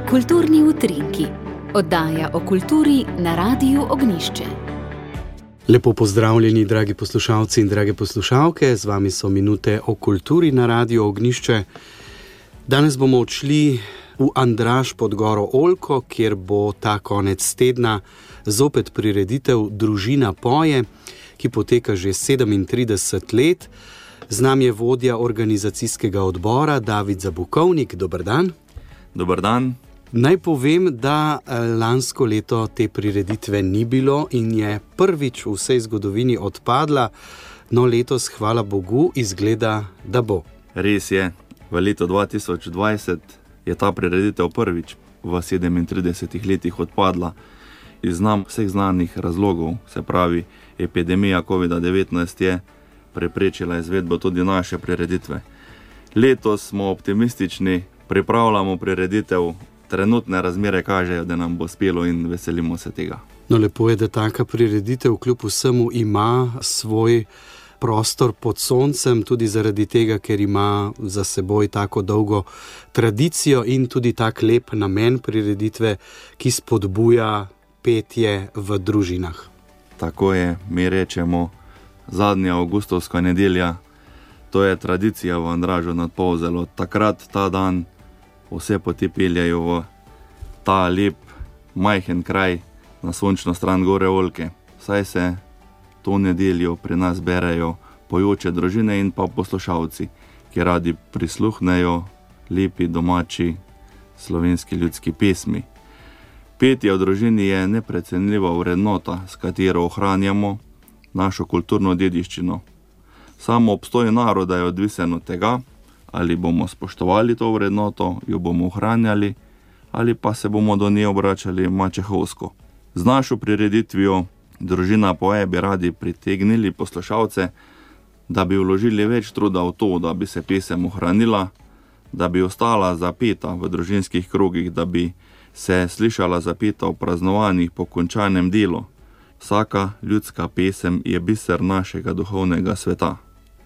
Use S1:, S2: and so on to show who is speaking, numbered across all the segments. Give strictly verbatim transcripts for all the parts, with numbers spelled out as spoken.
S1: Kulturni utrinki. Oddaja o kulturi na Radiu Ognjišče.
S2: Lepo pozdravljeni, dragi poslušalci in drage poslušalke. Z vami so minute o kulturi na Radiu Ognjišče. Danes bomo odšli v Andraž pod goro Oljko, kjer bo ta konec tedna zopet prireditev Družina poje, ki poteka že sedemintrideset let. Z nami je vodja organizacijskega odbora David Zabukovnik. Dober dan.
S3: Dober dan.
S2: Naj povem, da lansko leto te prireditve ni bilo in je prvič v vsej zgodovini odpadla, no letos, hvala Bogu, izgleda, da bo.
S3: Res je, v letu dva tisoč dvajset je ta prireditev prvič v sedemintridesetih letih odpadla iz nam vseh znanih razlogov, se pravi, epidemija covid devetnajst je preprečila izvedbo tudi naše prireditve. Letos smo optimistični, pripravljamo prireditev. Trenutne razmere kažejo, da nam bo uspelo in veselimo se tega.
S2: No, lepo je, da taka prireditev kljub vsemu ima svoj prostor pod soncem, tudi zaradi tega, ker ima za seboj tako dolgo tradicijo in tudi tak lep namen prireditve, ki spodbuja petje v družinah.
S3: Tako je, mi rečemo zadnja avgustovska nedelja, to je tradicija v Andražu nad Polzelo. Takrat, ta dan, vse poti peljajo v ta lep, majhen kraj na sončno stran gore Oljke. Saj se to nedeljo pri nas berejo pojoče družine in pa poslušalci, ki radi prisluhnejo lepi domači slovenski ljudski pesmi. Petje v družini je neprecenljiva vrednota, s katero ohranjamo našo kulturno dediščino. Samo obstoj naroda je odvisen od tega, ali bomo spoštovali to vrednoto, jo bomo ohranjali, ali pa se bomo do nje obračali mačehovsko. Z našo prireditvijo Družina poje bi radi pritegnili poslušalce, da bi vložili več truda v to, da bi se pesem ohranila, da bi ostala zapeta v družinskih krogih, da bi se slišala zapeta v praznovanjih po končanem delu. Vsaka ljudska pesem je biser našega duhovnega sveta.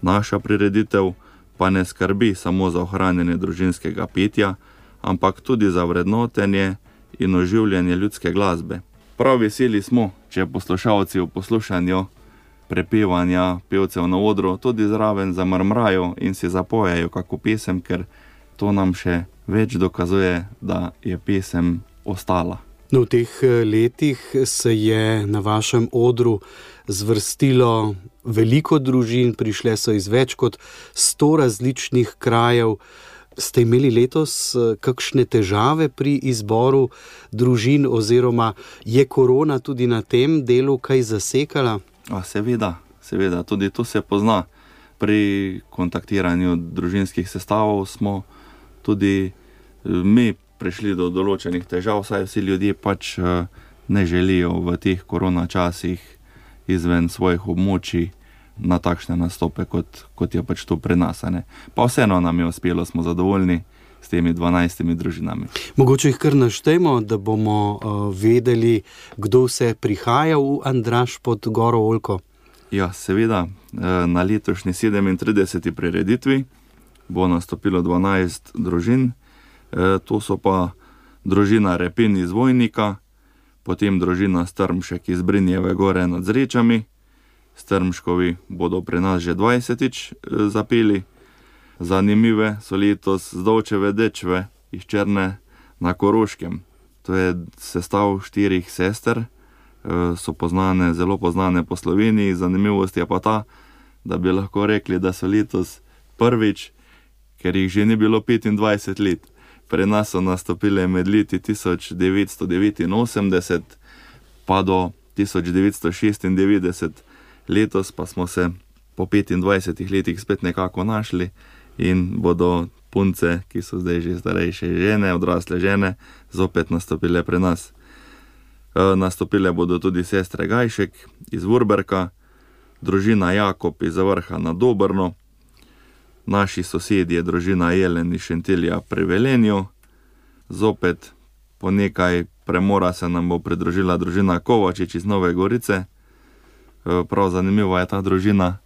S3: Naša prireditev pa ne skrbi samo za ohranjanje družinskega petja, ampak tudi za vrednotenje in oživljanje ljudske glasbe. Prav veseli smo, če poslušalci v poslušanju prepevanja pevcev na odru tudi zraven zamrmrajo in si zapojejo kako pesem, ker to nam še več dokazuje, da je pesem ostala.
S2: No, v teh letih se je na vašem odru zvrstilo veliko družin, prišle so iz več kot sto različnih krajev. Ste imeli letos kakšne težave pri izboru družin oziroma je korona tudi na tem delu kaj zasekala?
S3: A, seveda, seveda, tudi to se pozna. Pri kontaktiranju družinskih sestavov smo tudi mi prišli do določenih težav, saj vsi ljudje pač ne želijo v teh korona časih izven svojih območij na takšne nastope, kot, kot je pač to pri nas. Ne? Pa vseeno nam je uspelo, smo zadovoljni s temi dvanajstimi družinami.
S2: Mogoče jih kar naštejmo, da bomo uh, vedeli, kdo vse prihaja v Andraž pod goro Oljko.
S3: Ja, seveda, na letošnji sedemintrideseti prireditvi bo nastopilo dvanajst družin. To so pa družina Repin iz Vojnika, potem družina Strmšek iz Brinjeve gore nad Zrečami. Strmškovi bodo pri nas že dvajsetič zapeli. Zanimive so letos Zdovčeve dečve iz Črne na Koroškem. To je sestav štirih sester, so poznane, zelo poznane po Sloveniji. Zanimivost je pa ta, da bi lahko rekli, da so letos prvič, ker jih že ni bilo petindvajset let. Pri nas so nastopile med leti tisoč devetsto devetinosemdeset pa do tisoč devetsto šestindevetdeset. Letos pa smo se po petindvajsetih letih spet nekako našli in bodo punce, ki so zdaj že starejše žene, odrasle žene, zopet nastopile pri nas. E, nastopile bodo tudi sestre Gajšek iz Vurberka, družina Jakob iz Zavrha na Dobrno, naši sosedje, družina Jelen iz Šentilja pri Velenju, zopet po nekaj premora se nam bo pridružila družina Kovačič iz Nove Gorice. Prav zanimiva je ta družina,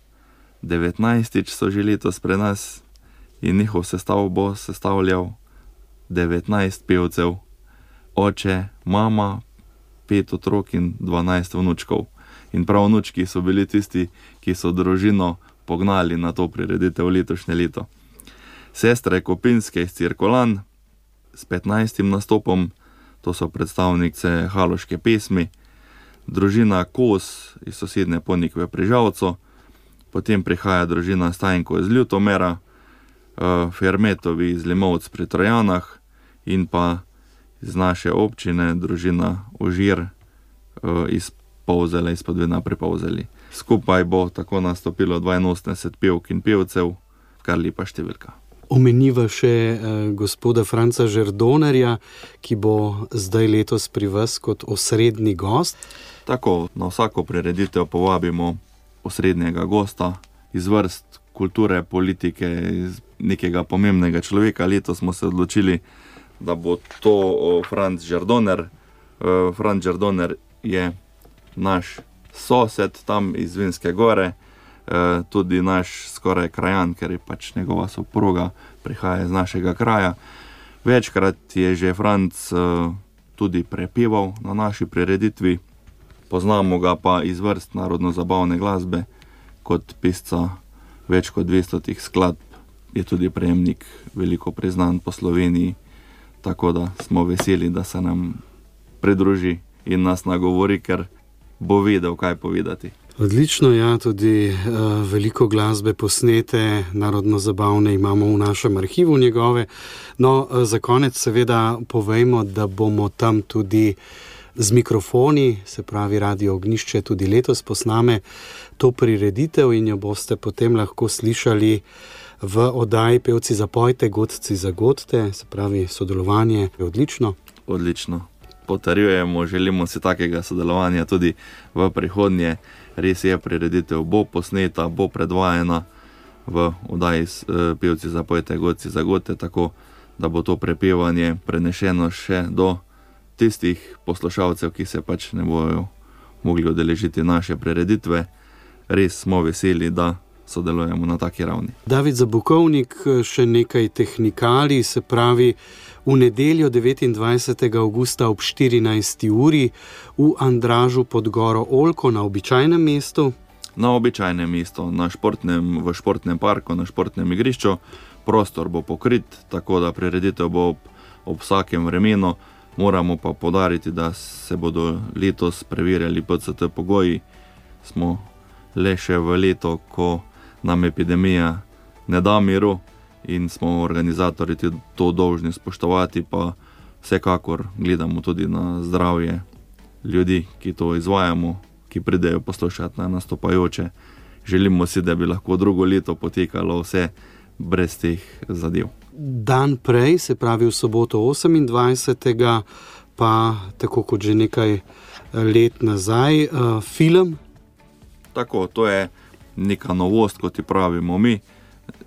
S3: devetnajstič so že letos pri nas in njihov sestav bo sestavljal devetnajst pevcev, oče, mama, pet otrok in dvanajst vnučkov. In prav vnučki so bili tisti, ki so družino pognali na to prireditev letošnje leto. Sestre Kopinske iz Cirkolan s petnajstim nastopom, to so predstavnice haloške pesmi, družina Kos iz sosednje Ponikve pri Žalcu, potem prihaja družina Stajnko iz Ljutomera, Fermetovi iz Limovc pri Trojanah in pa iz naše občine družina Užir iz Polzele, iz Podvina pri Polzeli. Skupaj bo tako nastopilo dvainosemdeset pevk in pevcev, kar lepa številka.
S2: Omeniva še eh, gospoda Franca Žerdonerja, ki bo zdaj letos pri vas kot osrednji gost.
S3: Tako, na vsako prireditev povabimo osrednjega gosta iz vrst kulture, politike, iz nekega pomembnega človeka. Letos smo se odločili, da bo to Franc Žerdoner. Franc Žerdoner je naš sosed tam iz Vinske Gore, tudi naš skoraj krajan, ker je pač njegova soproga prihaja iz našega kraja. Večkrat je že Franc tudi prepeval na naši prireditvi, poznamo ga pa iz vrst narodno-zabavne glasbe, kot pisca več kot dvestotih skladb, je tudi prejemnik veliko priznan po Sloveniji, tako da smo veseli, da se nam pridruži in nas nagovori, ker bo vedel, kaj povedati.
S2: Odlično, ja, tudi uh, veliko glasbe posnete, narodno-zabavne imamo v našem arhivu njegove. No, uh, za konec seveda povejmo, da bomo tam tudi z mikrofoni, se pravi Radio Ognjišče, tudi letos posname to prireditev in jo boste potem lahko slišali v oddaji Pevci zapojte, godci zagodte, se pravi sodelovanje je odlično.
S3: Odlično. Potrjujemo, želimo si takega sodelovanja tudi v prihodnje. Res je, prireditev bo posneta, bo predvajana v oddaji Pevci zapojte, godci zagodte, tako da bo to prepevanje prenešeno še do tistih poslušalcev, ki se pač ne bojo mogli udeležiti naše prireditve. Res smo veseli, da sodelujemo na taki ravni.
S2: David Zabukovnik, še nekaj tehnikali, se pravi v nedeljo devetindvajsetega avgusta ob štirinajsti uri v Andražu pod goro Oljko na običajnem mestu.
S3: Na običajnem mestu, na športnem, v športnem parku, na športnem igrišču. Prostor bo pokrit, tako da prireditev bo ob, ob vsakem vremenu. Moramo pa poudariti, da se bodo letos preverjali P C T pogoji. Smo le še v leto, ko nam epidemija ne da miru in smo organizatorji to dolžni spoštovati, pa vsekakor gledamo tudi na zdravje ljudi, ki to izvajamo, ki pridejo poslušati na nastopajoče. Želimo si, da bi lahko drugo leto potekalo vse brez teh zadev.
S2: Dan prej, se pravi v soboto osemindvajsetega pa tako kot že nekaj let nazaj, uh, film.
S3: Tako, to je neka novost, kot ji pravimo mi.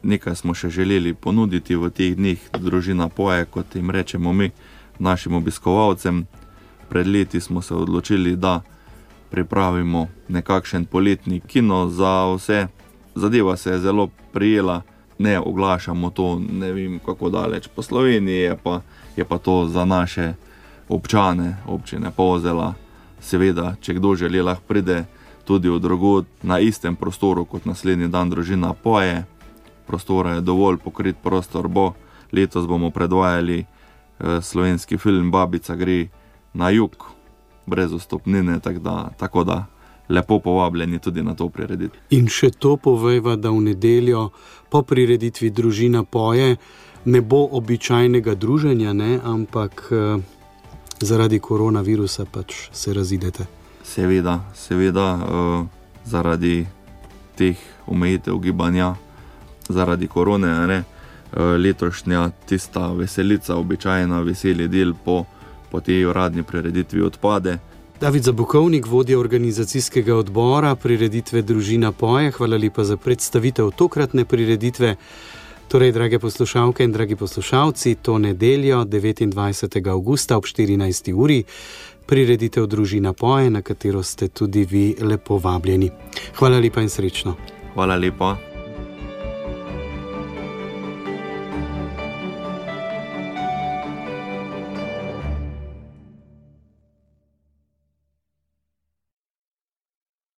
S3: Nekaj smo še želeli ponuditi v teh dneh, družina poje, kot jim rečemo mi, našim obiskovalcem. Pred leti smo se odločili, da pripravimo nekakšen poletni kino za vse. Zadeva se je zelo prijela, ne oglašamo to, ne vem kako daleč po Sloveniji, je pa, je pa to za naše občane, občine Polzela. Seveda, če kdo želi, lahko pride tudi v drugod na istem prostoru kot naslednji dan družina poje. Prostora je dovolj, pokrit prostor bo. Letos bomo predvajali eh, slovenski film Babica gre na jug, brez vstopnine, tak da, tako da lepo povabljeni tudi na to prireditev.
S2: In še to povejva, da v nedeljo po prireditvi družina poje ne bo običajnega druženja, ne, ampak eh, zaradi koronavirusa pač se razidete.
S3: Seveda, seveda, uh, zaradi teh omejitev gibanja, zaradi korone, ne, uh, letošnja tista veselica, običajna veseli del po, po tej uradni prireditvi odpade.
S2: David Zabukovnik, vodja organizacijskega odbora prireditve Družina poje, hvala lepa za predstavitev tokratne prireditve. Torej, drage poslušalke in dragi poslušalci, to nedeljo devetindvajsetega avgusta ob štirinajsti uri prireditev Družina poje, na katero ste tudi vi lepo vabljeni. Hvala lepa in srečno.
S3: Hvala lepa.